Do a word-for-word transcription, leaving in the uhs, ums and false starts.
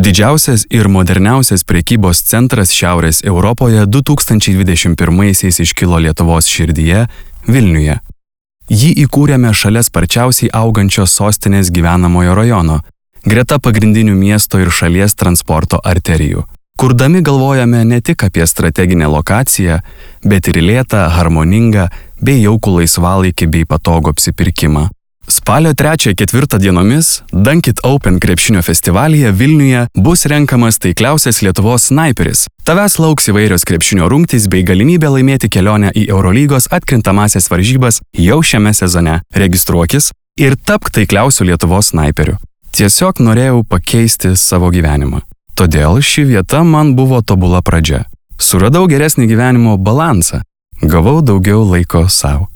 Didžiausias ir moderniausias prekybos centras Šiaurės Europoje du tūkstančiai dvidešimt pirmaisiais iškilo Lietuvos širdyje, Vilniuje. Jį įkūrėme šalia sparčiausiai augančios sostinės gyvenamojo rajono, greta pagrindinių miesto ir šalies transporto arterijų. Kurdami galvojame ne tik apie strateginę lokaciją, bet ir lėtą, harmoningą bei jaukų laisvalaikį bei patogų apsipirkimą. Spalio trečią ketvirtą dienomis Dunk It Open krepšinio festivalyje Vilniuje bus renkamas taikliausias Lietuvos snaiperis. Tavęs lauks įvairios krepšinio rungtys bei galimybė laimėti kelionę į Eurolygos atkrintamąsias varžybas jau šiame sezone. Registruokis ir tapk taikliausiu Lietuvos snaiperiu. Tiesiog norėjau pakeisti savo gyvenimą. Todėl ši vieta man buvo tobula pradžia. Suradau geresnį gyvenimo balansą. Gavau daugiau laiko sau.